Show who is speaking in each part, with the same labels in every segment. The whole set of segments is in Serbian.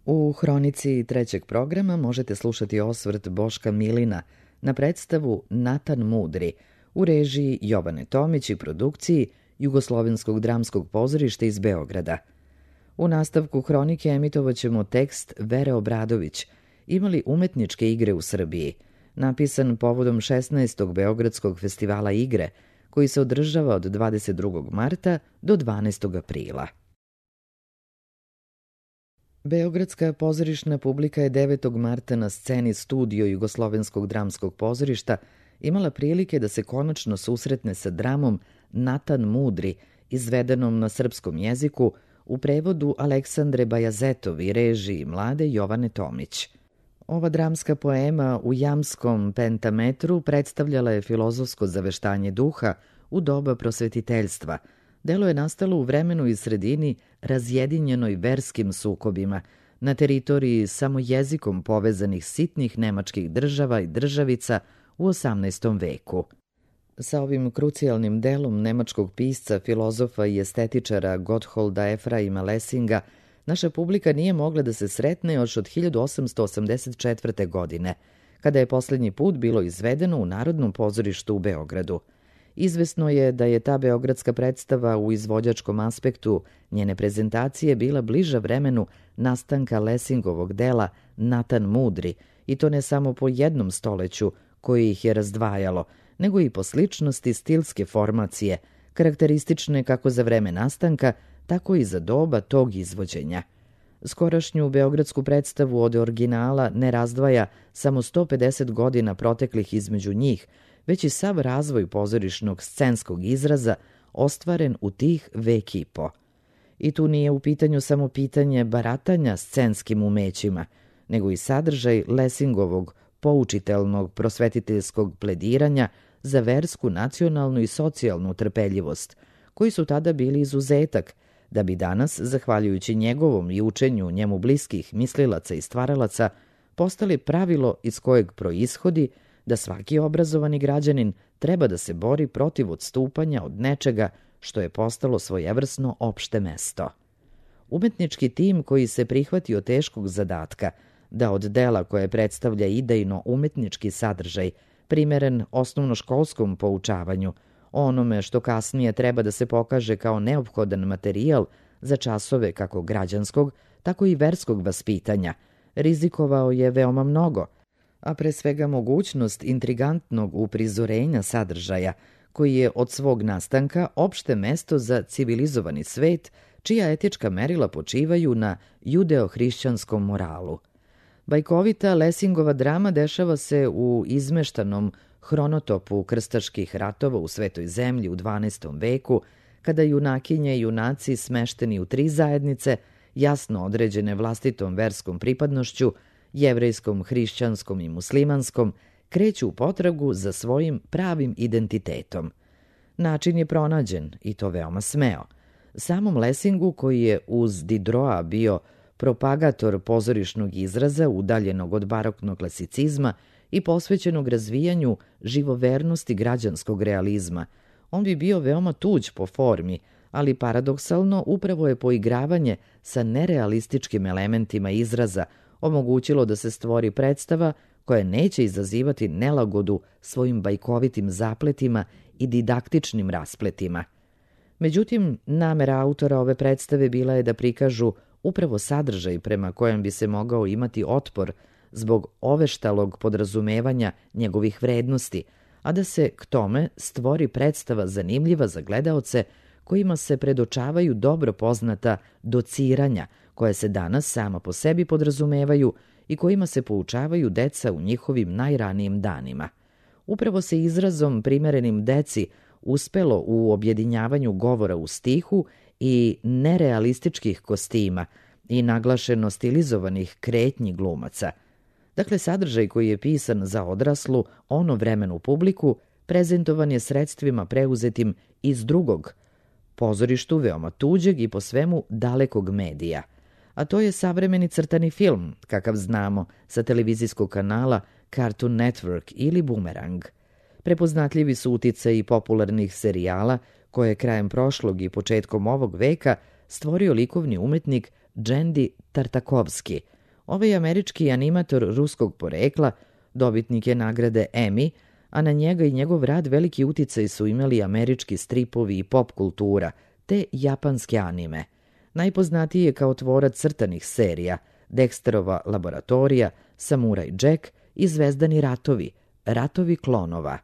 Speaker 1: U hronici trećeg programa možete slušati osvrt Boška Milina na predstavu Natan Mudri u režiji Jovane Tomić i produkciji Jugoslovenskog dramskog pozorišta iz Beograda. U nastavku hronike emitovaćemo tekst Vere Obradović Imali umetničke igre u Srbiji, napisan povodom 16. Beogradskog festivala igre, koji se održava od 22. marta do 12. aprila. Beogradska pozorišna publika je 9. marta na sceni Studio Jugoslovenskog dramskog pozorišta imala prilike da se konačno susretne sa dramom Natan Mudri, izvedenom na srpskom jeziku u prevodu Aleksandre Bajazetov i režiji mlade Jovane Tomić. Ova dramska poema u jamskom pentametru predstavljala je filozofsko zaveštanje duha u doba prosvetiteljstva. Delo je nastalo u vremenu i sredini razjedinjenoj verskim sukobima, na teritoriji samo jezikom povezanih sitnih nemačkih država i državica u 18. veku. Sa ovim krucijalnim delom nemačkog pisca, filozofa i estetičara Gottholda Efraima Lessinga naša publika nije mogla da se sretne još od 1884. godine, kada je poslednji put bilo izvedeno u Narodnom pozorištu u Beogradu. Izvesno je da je ta beogradska predstava u izvođačkom aspektu njene prezentacije bila bliža vremenu nastanka Lessingovog dela Natan Mudri, i to ne samo po jednom stoleću koje ih je razdvajalo, nego i po sličnosti stilske formacije, karakteristične kako za vreme nastanka, tako i za doba tog izvođenja. Skorašnju beogradsku predstavu od originala ne razdvaja samo 150 godina proteklih između njih, već i sav razvoj pozorišnog scenskog izraza ostvaren u tih vek i po. I tu nije u pitanju samo pitanje baratanja scenskim umećima, nego i sadržaj Lessingovog poučitelnog prosvetiteljskog plediranja za versku, nacionalnu i socijalnu trpeljivost, koji su tada bili izuzetak, da bi danas, zahvaljujući njegovom i učenju njemu bliskih mislilaca i stvaralaca, postali pravilo iz kojeg proishodi da svaki obrazovani građanin treba da se bori protiv odstupanja od nečega što je postalo svojevrsno opšte mesto. Umetnički tim koji se prihvatio teškog zadatka da od dela koje predstavlja idejno umetnički sadržaj, primeren osnovnoškolskom poučavanju, onome što kasnije treba da se pokaže kao neophodan materijal za časove kako građanskog, tako i verskog vaspitanja, rizikovao je veoma mnogo, a pre svega mogućnost intrigantnog uprizorenja sadržaja, koji je od svog nastanka opšte mesto za civilizovani svet, čija etička merila počivaju na judeo-hrišćanskom moralu. Bajkovita Lessingova drama dešava se u izmeštanom hronotopu krstaških ratova u Svetoj zemlji u 12. veku, kada junakinje i junaci smešteni u 3 zajednice, jasno određene vlastitom verskom pripadnošću, jevrejskom, hrišćanskom i muslimanskom, kreću u potragu za svojim pravim identitetom. Način je pronađen, i to veoma smeo. Samom Lessingu, koji je uz Diderota bio propagator pozorišnog izraza udaljenog od baroknog klasicizma i posvećenog razvijanju živovernosti građanskog realizma, on bi bio veoma tuđ po formi, ali paradoksalno upravo je poigravanje sa nerealističkim elementima izraza omogućilo da se stvori predstava koja neće izazivati nelagodu svojim bajkovitim zapletima i didaktičnim raspletima. Međutim, namera autora ove predstave bila je da prikažu upravo sadržaj prema kojem bi se mogao imati otpor zbog oveštalog podrazumevanja njegovih vrednosti, a da se k tome stvori predstava zanimljiva za gledaoce kojima se predočavaju dobro poznata dociranja, koje se danas sama po sebi podrazumevaju i kojima se poučavaju deca u njihovim najranijim danima. Upravo se izrazom primerenim deci uspelo u objedinjavanju govora u stihu i nerealističkih kostima i naglašeno stilizovanih kretnji glumaca. Dakle, sadržaj koji je pisan za odraslu, vremenu publiku, prezentovan je sredstvima preuzetim iz drugog, pozorištu veoma tuđeg i po svemu dalekog medija, a to je savremeni crtani film, kakav znamo sa televizijskog kanala Cartoon Network ili Boomerang. Prepoznatljivi su uticaji popularnih serijala koje je krajem prošlog i početkom ovog veka stvorio likovni umetnik Džendi Tartakovski. Ovaj američki animator ruskog porekla dobitnik je nagrade Emmy, a na njega i njegov rad veliki uticaj su imali američki stripovi i pop kultura, te japanske anime. Najpoznatiji je kao tvorac crtanih serija Dexterova laboratorija, Samuraj Jack i Zvezdani ratovi, Ratovi klonova.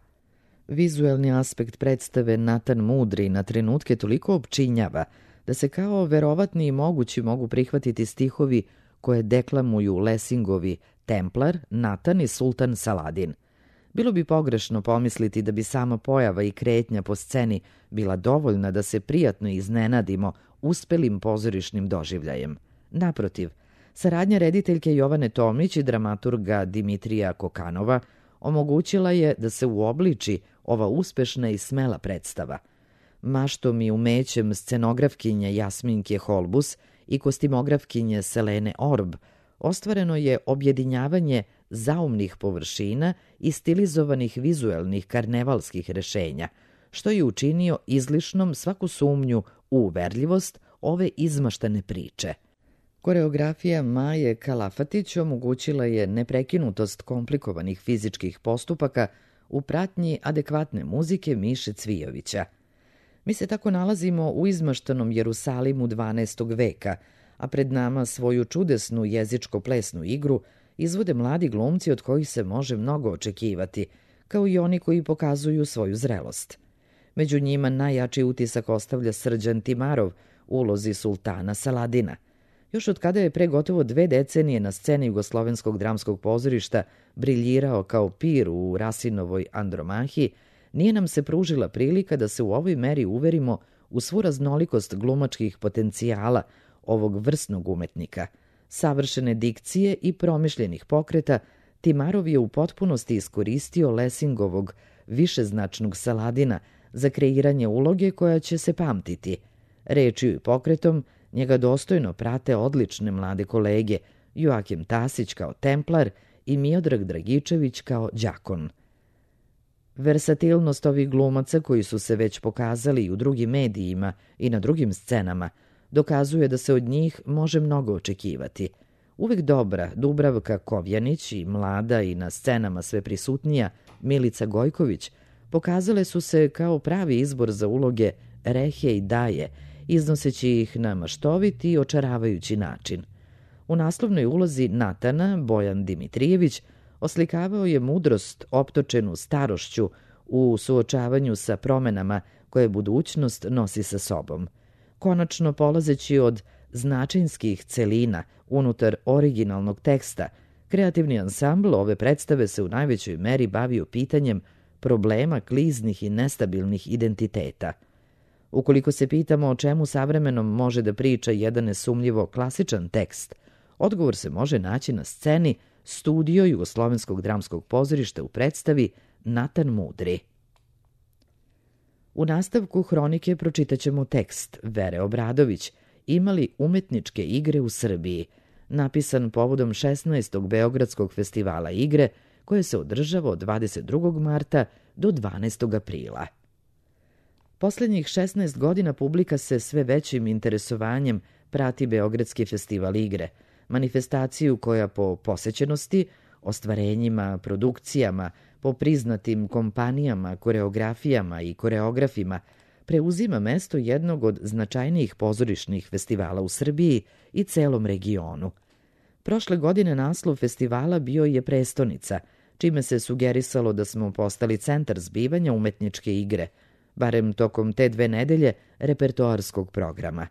Speaker 1: Vizuelni aspekt predstave Natan Mudri na trenutke toliko opčinjava da se kao verovatni i mogući mogu prihvatiti stihovi koje deklamuju Lessingovi Templar, Natan i Sultan Saladin. Bilo bi pogrešno pomisliti da bi sama pojava i kretnja po sceni bila dovoljna da se prijatno iznenadimo uspelim pozorišnim doživljajem. Naprotiv, saradnja rediteljke Jovane Tomić i dramaturga Dimitrija Kokanova omogućila je da se uobliči ova uspešna i smela predstava. Maštom i umećem scenografkinje Jasminke Holbus i kostimografkinje Selene Orb ostvareno je objedinjavanje zaumnih površina i stilizovanih vizuelnih karnevalskih rešenja, što je učinio izlišnom svaku sumnju u uverljivost ove izmaštane priče. Koreografija Maje Kalafatić omogućila je neprekinutost komplikovanih fizičkih postupaka u pratnji adekvatne muzike Miše Cvijovića. Mi se tako nalazimo u izmaštanom Jerusalimu 12. veka, a pred nama svoju čudesnu jezičko-plesnu igru izvode mladi glumci od kojih se može mnogo očekivati, kao i oni koji pokazuju svoju zrelost. Među njima najjači utisak ostavlja Srđan Timarov u ulozi sultana Saladina. Još od kada je pre gotovo 2 decenije na sceni Jugoslovenskog dramskog pozorišta briljirao kao pir u Rasinovoj Andromahi, nije nam se pružila prilika da se u ovoj meri uverimo u svu raznolikost glumačkih potencijala ovog vrsnog umetnika. Savršene dikcije i promišljenih pokreta, Timarov je u potpunosti iskoristio Lessingovog višeznačnog Saladina za kreiranje uloge koja će se pamtiti. Rečju i pokretom njega dostojno prate odlične mlade kolege Joakim Tasić kao Templar i Miodrag Dragičević kao đakon. Versatilnost ovih glumaca koji su se već pokazali i u drugim medijima i na drugim scenama dokazuje da se od njih može mnogo očekivati. Uvek dobra Dubravka Kovjanić i mlada i na scenama sve prisutnija Milica Gojković pokazale su se kao pravi izbor za uloge Rehe i Daje, iznoseći ih na maštovit i očaravajući način. U naslovnoj ulozi Natana Bojan Dimitrijević oslikavao je mudrost optočenu starošću u suočavanju sa promenama koje budućnost nosi sa sobom. Konačno, polazeći od značinskih celina unutar originalnog teksta, kreativni ansambl ove predstave se u najvećoj meri bavio pitanjem problema kliznih i nestabilnih identiteta. Ukoliko se pitamo o čemu savremenom može da priča jedan nesumljivo klasičan tekst, odgovor se može naći na sceni Studio Jugoslovenskog dramskog pozorišta u predstavi Natan Mudri. U nastavku hronike pročitaćemo tekst Vere Obradović Imali umetničke igre u Srbiji, napisan povodom 16. Beogradskog festivala igre koje se održava od 22. marta do 12. aprila. Poslednjih 16 godina publika se sve većim interesovanjem prati Beogradski festival igre, manifestaciju koja po posećenosti, ostvarenjima, produkcijama, po priznatim kompanijama, koreografijama i koreografima preuzima mesto jednog od značajnijih pozorišnih festivala u Srbiji i celom regionu. Prošle godine naslov festivala bio je Prestonica, čime se sugerisalo da smo postali centar zbivanja umetničke igre, barem tokom te 2 nedelje repertoarskog programa.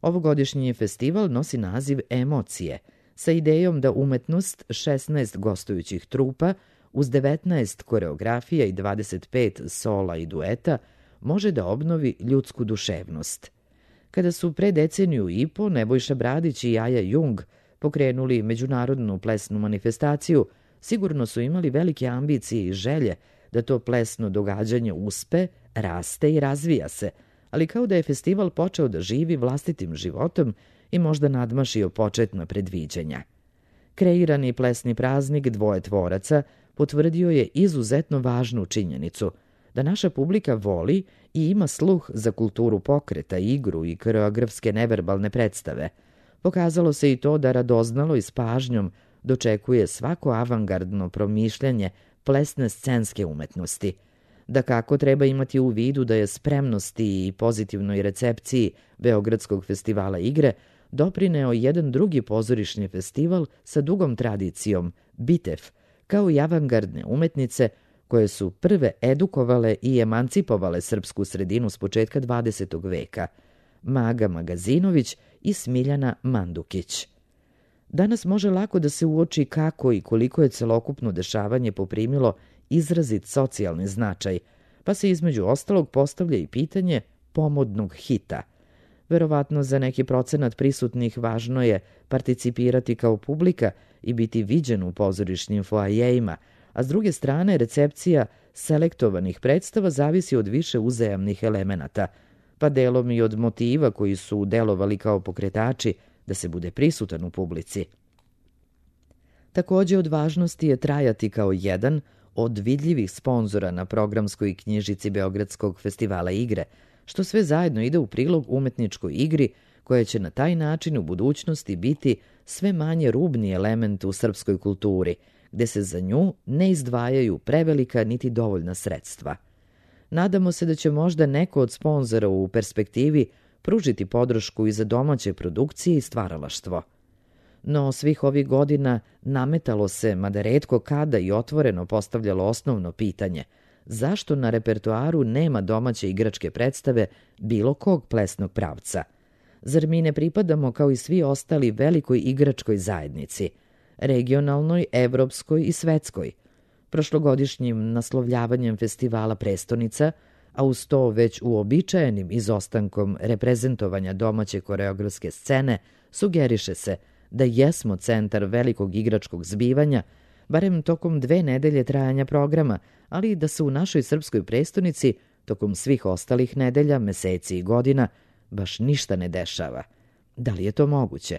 Speaker 1: Ovogodišnji festival nosi naziv Emocije, sa idejom da umetnost 16 gostujućih trupa uz 19 koreografija i 25 sola i dueta može da obnovi ljudsku duševnost. Kada su pre deceniju i po Nebojša Bradić i Jaja Jung pokrenuli međunarodnu plesnu manifestaciju, sigurno su imali velike ambicije i želje da to plesno događanje uspe, raste i razvija se, ali kao da je festival počeo da živi vlastitim životom i možda nadmašio početna predviđanja. Kreirani plesni praznik Dvoje tvoraca potvrdio je izuzetno važnu činjenicu da naša publika voli i ima sluh za kulturu pokreta, igru i koreografske neverbalne predstave. Pokazalo se i to da radoznalo i s pažnjom dočekuje svako avangardno promišljanje plesne scenske umetnosti. Da kako treba imati u vidu da je spremnosti i pozitivnoj recepciji Beogradskog festivala igre doprineo jedan drugi pozorišni festival sa dugom tradicijom, BITEF, kao i avangardne umetnice koje su prve edukovale i emancipovale srpsku sredinu s početka 20. veka, Maga Magazinović i Smiljana Mandukić. Danas može lako da se uoči kako i koliko je celokupno dešavanje poprimilo izrazit socijalni značaj, pa se između ostalog postavlja i pitanje pomodnog hita. Verovatno za neki procenat prisutnih važno je participirati kao publika i biti viđen u pozorišnim foajejima, a s druge strane recepcija selektovanih predstava zavisi od više uzajamnih elemenata, pa delom i od motiva koji su delovali kao pokretači da se bude prisutan u publici. Takođe od važnosti je trajati kao jedan od vidljivih sponzora na programskoj knjižici Beogradskog festivala igre, što sve zajedno ide u prilog umetničkoj igri koja će na taj način u budućnosti biti sve manje rubni element u srpskoj kulturi, gde se za nju ne izdvajaju prevelika niti dovoljna sredstva. Nadamo se da će možda neko od sponzora u perspektivi pružiti podršku i za domaće produkcije i stvaralaštvo. No svih ovih godina nametalo se, mada retko kada i otvoreno postavljalo osnovno pitanje, zašto na repertoaru nema domaće igračke predstave bilo kog plesnog pravca? Zar mi ne pripadamo kao i svi ostali velikoj igračkoj zajednici, regionalnoj, evropskoj i svetskoj? Prošlogodišnjim naslovljavanjem festivala Prestonica, a uz to već uobičajenim izostankom reprezentovanja domaće koreografske scene, sugeriše se da jesmo centar velikog igračkog zbivanja, barem tokom 2 nedelje trajanja programa, ali da se u našoj srpskoj prestonici, tokom svih ostalih nedelja, meseci i godina, baš ništa ne dešava. Da li je to moguće?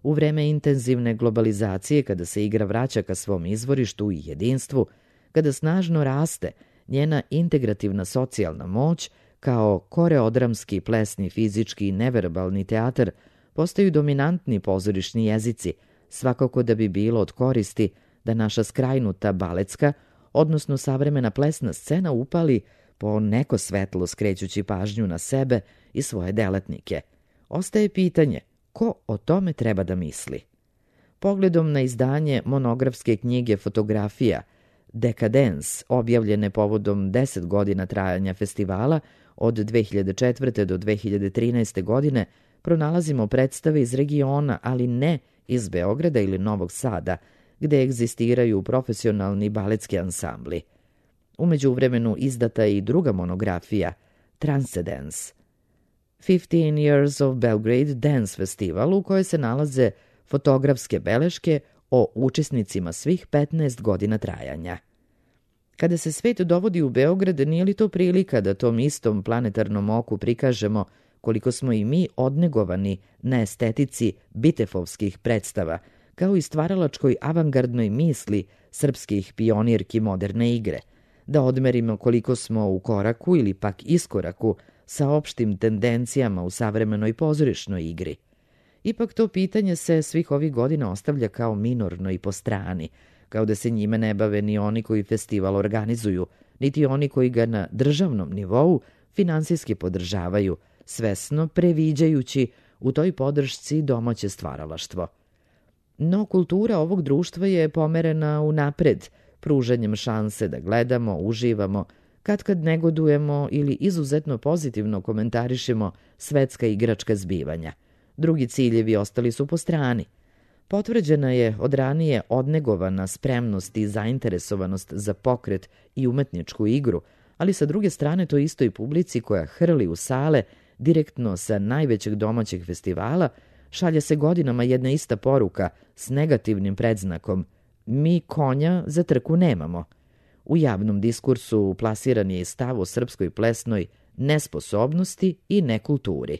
Speaker 1: U vreme intenzivne globalizacije, kada se igra vraća ka svom izvorištu i jedinstvu, kada snažno raste njena integrativna socijalna moć, kao koreodramski, plesni, fizički i neverbalni teatar, postaju dominantni pozorišni jezici, svakako da bi bilo od koristi da naša skrajnuta baletska, odnosno savremena plesna scena upali po neko svetlo skrećući pažnju na sebe i svoje delatnike. Ostaje pitanje, ko o tome treba da misli? Pogledom na izdanje monografske knjige fotografija Decadence, objavljene povodom 10 godina trajanja festivala od 2004. do 2013. godine, pronalazimo predstave iz regiona, ali ne iz Beograda ili Novog Sada, gde egzistiraju profesionalni baletski ansambli. U međuvremenu izdata je i druga monografija, Transcendence, 15 Years of Belgrade Dance Festival, u kojoj se nalaze fotografske beleške o učesnicima svih 15 godina trajanja. Kada se svet dovodi u Beograd, nije li to prilika da tom istom planetarnom oku prikažemo koliko smo i mi odnegovani na estetici bitefovskih predstava, kao i stvaralačkoj avangardnoj misli srpskih pionirki moderne igre, da odmerimo koliko smo u koraku ili pak iskoraku sa opštim tendencijama u savremenoj pozorišnoj igri. Ipak to pitanje se svih ovih godina ostavlja kao minorno i po strani, kao da se njime ne bave ni oni koji festival organizuju, niti oni koji ga na državnom nivou finansijski podržavaju, svesno previđajući u toj podršci domaće stvaralaštvo. No kultura ovog društva je pomerena unapred, pružanjem šanse da gledamo, uživamo, kad negodujemo ili izuzetno pozitivno komentarišemo svetska igračka zbivanja. Drugi ciljevi ostali su po strani. Potvrđena je od ranije odnegovana spremnost i zainteresovanost za pokret i umetničku igru, ali sa druge strane to istoj publici koja hrli u sale direktno sa najvećeg domaćeg festivala šalje se godinama jedna ista poruka s negativnim predznakom: mi konja za trku nemamo. U javnom diskursu plasiran je i stav o srpskoj plesnoj nesposobnosti i nekulturi.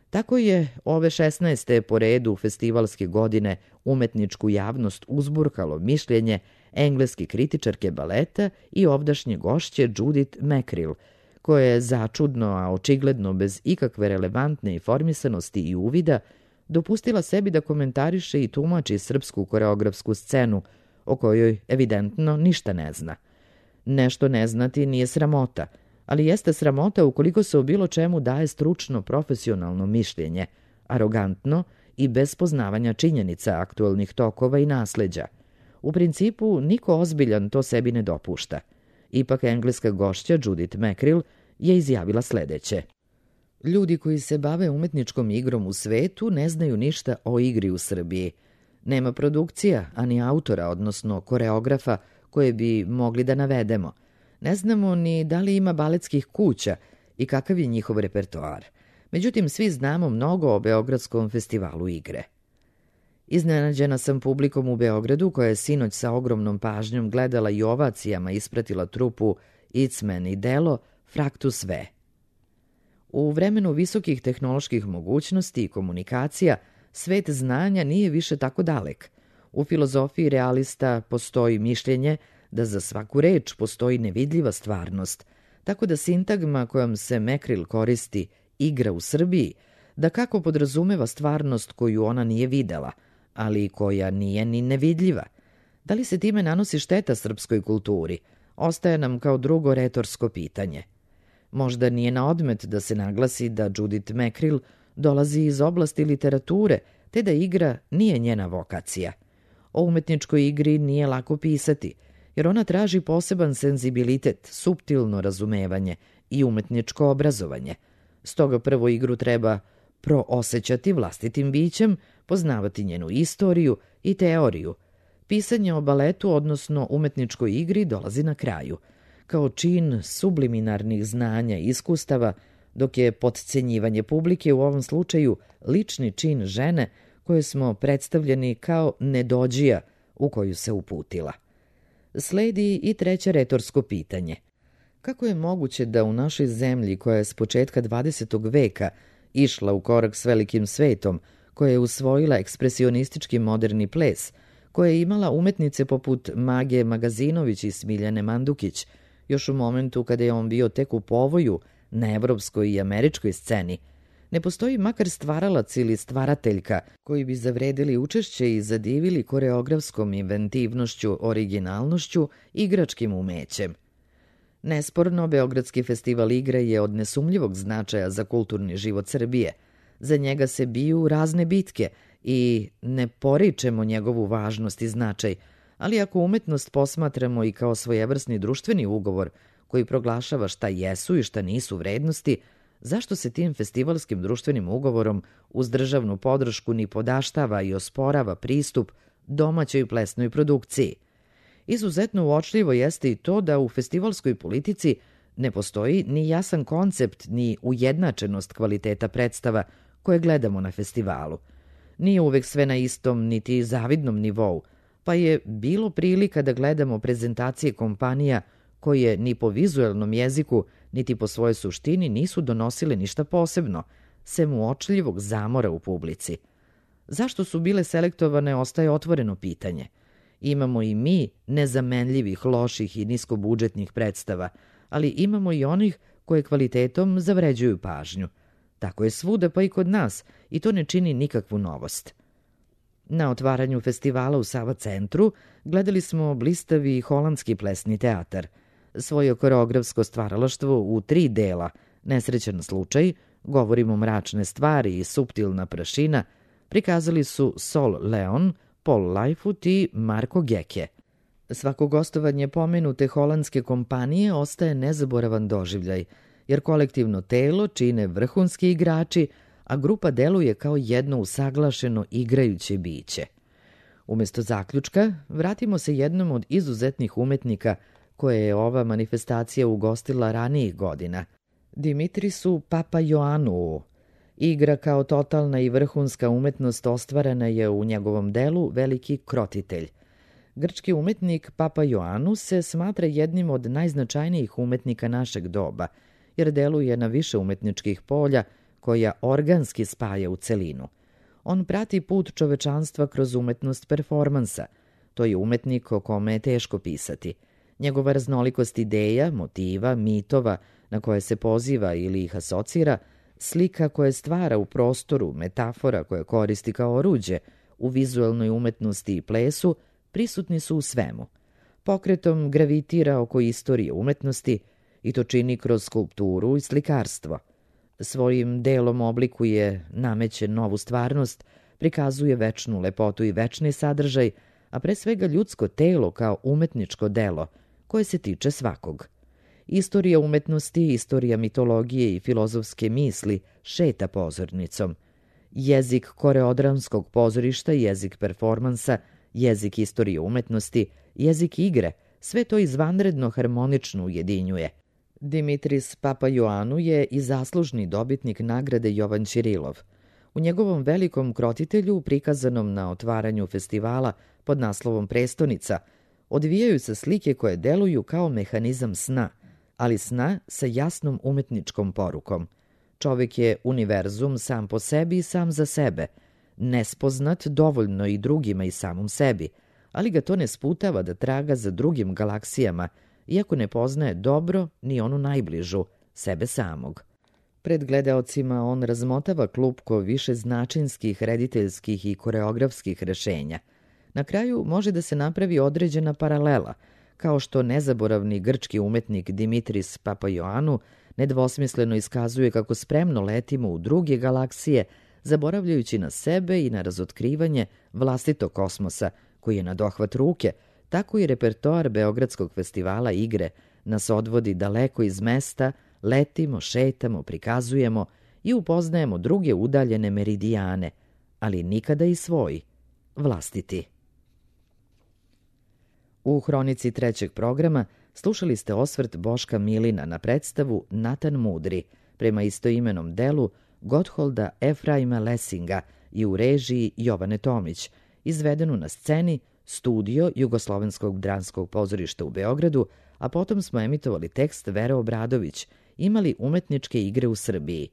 Speaker 1: Tako je ove 16. po redu festivalske godine umetničku javnost uzburkalo mišljenje engleske kritičarke baleta i ovdašnje gošće Judith Mackrell, koje je začudno, a očigledno bez ikakve relevantne informisanosti i uvida, dopustila sebi da komentariše i tumači srpsku koreografsku scenu, o kojoj evidentno ništa ne zna. Nešto ne znati nije sramota, ali jeste sramota ukoliko se o bilo čemu daje stručno, profesionalno mišljenje, arogantno i bez poznavanja činjenica, aktuelnih tokova i nasleđa. U principu, niko ozbiljan to sebi ne dopušta. Ipak engleska gošća Judith Mackrell je izjavila sledeće. Ljudi koji se bave umetničkom igrom u svetu ne znaju ništa o igri u Srbiji. Nema produkcija, ani autora, odnosno koreografa, koje bi mogli da navedemo. Ne znamo ni da li ima baletskih kuća i kakav je njihov repertoar. Međutim, svi znamo mnogo o Beogradskom festivalu igre. Iznenađena sam publikom u Beogradu, koja je sinoć sa ogromnom pažnjom gledala i ovacijama ispratila trupu Itzmen i delo Fraktus V. U vremenu visokih tehnoloških mogućnosti i komunikacija, svet znanja nije više tako dalek. U filozofiji realista postoji mišljenje da za svaku reč postoji nevidljiva stvarnost, tako da sintagma kojom se Mackrell koristi igra u Srbiji, da kako podrazumeva stvarnost koju ona nije videla, ali koja nije ni nevidljiva. Da li se time nanosi šteta srpskoj kulturi? Ostaje nam kao drugo retorsko pitanje. Možda nije na odmet da se naglasi da Judith Mackrell dolazi iz oblasti literature, te da igra nije njena vokacija. O umetničkoj igri nije lako pisati, jer ona traži poseban senzibilitet, suptilno razumevanje i umetničko obrazovanje. Stoga prvo igru treba proosećati vlastitim bićem, poznavati njenu istoriju i teoriju. Pisanje o baletu, odnosno umetničkoj igri, dolazi na kraju, kao čin subliminarnih znanja i iskustava, dok je potcenjivanje publike u ovom slučaju lični čin žene koje smo predstavljeni kao nedođija u koju se uputila. Sledi i treće retorsko pitanje. Kako je moguće da u našoj zemlji, koja je s početka 20. veka išla u korak s velikim svetom, koja je usvojila ekspresionistički moderni ples, koja je imala umetnice poput Mage Magazinović i Smiljane Mandukić, još u momentu kada je on bio tek u povoju na evropskoj i američkoj sceni, ne postoji makar stvaralac ili stvarateljka koji bi zavredili učešće i zadivili koreografskom inventivnošću, originalnošću, igračkim umećem. Nesporno, Beogradski festival igre je od nesumnjivog značaja za kulturni život Srbije. Za njega se biju razne bitke i ne poričemo njegovu važnost i značaj, ali ako umetnost posmatramo i kao svojevrsni društveni ugovor koji proglašava šta jesu i šta nisu vrednosti, zašto se tim festivalskim društvenim ugovorom uz državnu podršku ni podaštava i osporava pristup domaćoj plesnoj produkciji? Izuzetno uočljivo jeste i to da u festivalskoj politici ne postoji ni jasan koncept ni ujednačenost kvaliteta predstava koje gledamo na festivalu. Nije uvek sve na istom niti zavidnom nivou, pa je bilo prilika da gledamo prezentacije kompanija koje ni po vizuelnom jeziku, niti po svojoj suštini nisu donosile ništa posebno, sem uočljivog zamora u publici. Zašto su bile selektovane ostaje otvoreno pitanje. Imamo i mi nezamenljivih, loših i niskobudžetnih predstava, ali imamo i onih koje kvalitetom zavređuju pažnju. Tako je svuda, pa i kod nas, i to ne čini nikakvu novost. Na otvaranju festivala u Sava centru gledali smo blistavi holandski plesni teatar. Svoje koreografsko stvaralaštvo u 3 dela, Nesrećan slučaj, Govorimo mračne stvari i Suptilna prašina, prikazali su Sol Leon, Paul Lightfoot i Marko Geke. Svako gostovanje pomenute holandske kompanije ostaje nezaboravan doživljaj, jer kolektivno telo čine vrhunski igrači, a grupa deluje kao jedno usaglašeno igrajuće biće. Umjesto zaključka, vratimo se jednom od izuzetnih umetnika koje je ova manifestacija ugostila ranijih godina, Dimitrisu Papaioannou. Igra kao totalna i vrhunska umetnost ostvarena je u njegovom delu Veliki krotitelj. Grčki umetnik Papaioannou se smatra jednim od najznačajnijih umetnika našeg doba, jer deluje na više umetničkih polja koja organski spaja u celinu. On prati put čovečanstva kroz umetnost performansa. To je umetnik o kome je teško pisati. Njegova raznolikost ideja, motiva, mitova na koje se poziva ili ih asocira, Slika koje stvara u prostoru, metafora koje koristi kao oruđe, u vizuelnoj umetnosti i plesu, prisutni su u svemu. Pokretom gravitira oko istorije umetnosti i to čini kroz skulpturu i slikarstvo. Svojim delom oblikuje, nameće novu stvarnost, prikazuje večnu lepotu i večni sadržaj, a pre svega ljudsko telo kao umetničko delo, koje se tiče svakog. Istorija umetnosti, istorija mitologije i filozofske misli šeta pozornicom. Jezik koreodramskog pozorišta, jezik performansa, jezik istorije umetnosti, jezik igre, sve to izvanredno harmonično ujedinjuje. Dimitris Papaioannou je i zaslužni dobitnik nagrade Jovan Ćirilov. U njegovom velikom krotitelju, prikazanom na otvaranju festivala pod naslovom Prestonica, odvijaju se slike koje deluju kao mehanizam sna, ali sna sa jasnom umetničkom porukom. Čovek je univerzum sam po sebi i sam za sebe, nespoznat dovoljno i drugima i samom sebi, ali ga to ne sputava da traga za drugim galaksijama, iako ne poznaje dobro ni onu najbližu, sebe samog. Pred gledaocima on razmotava klupko višeznačinskih, rediteljskih i koreografskih rešenja. Na kraju može da se napravi određena paralela, kao što nezaboravni grčki umetnik Dimitris Papaioannou nedvosmisleno iskazuje kako spremno letimo u druge galaksije, zaboravljajući na sebe i na razotkrivanje vlastitog kosmosa, koji je na dohvat ruke, tako i repertoar Beogradskog festivala igre nas odvodi daleko iz mesta, letimo, šetamo, prikazujemo i upoznajemo druge udaljene meridijane, ali nikada i svoj, vlastiti. U hronici trećeg programa slušali ste osvrt Boška Milina na predstavu Natan Mudri, prema istoimenom delu Gottholda Efraima Lessinga i u režiji Jovane Tomić, izvedenu na sceni Studio Jugoslovenskog dramskog pozorišta u Beogradu, a potom smo emitovali tekst Vere Obradović, Imali umetničke igre u Srbiji,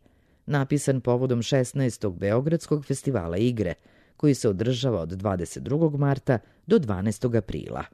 Speaker 1: napisan povodom 16. Beogradskog festivala igre, koji se održava od 22. marta do 12. aprila.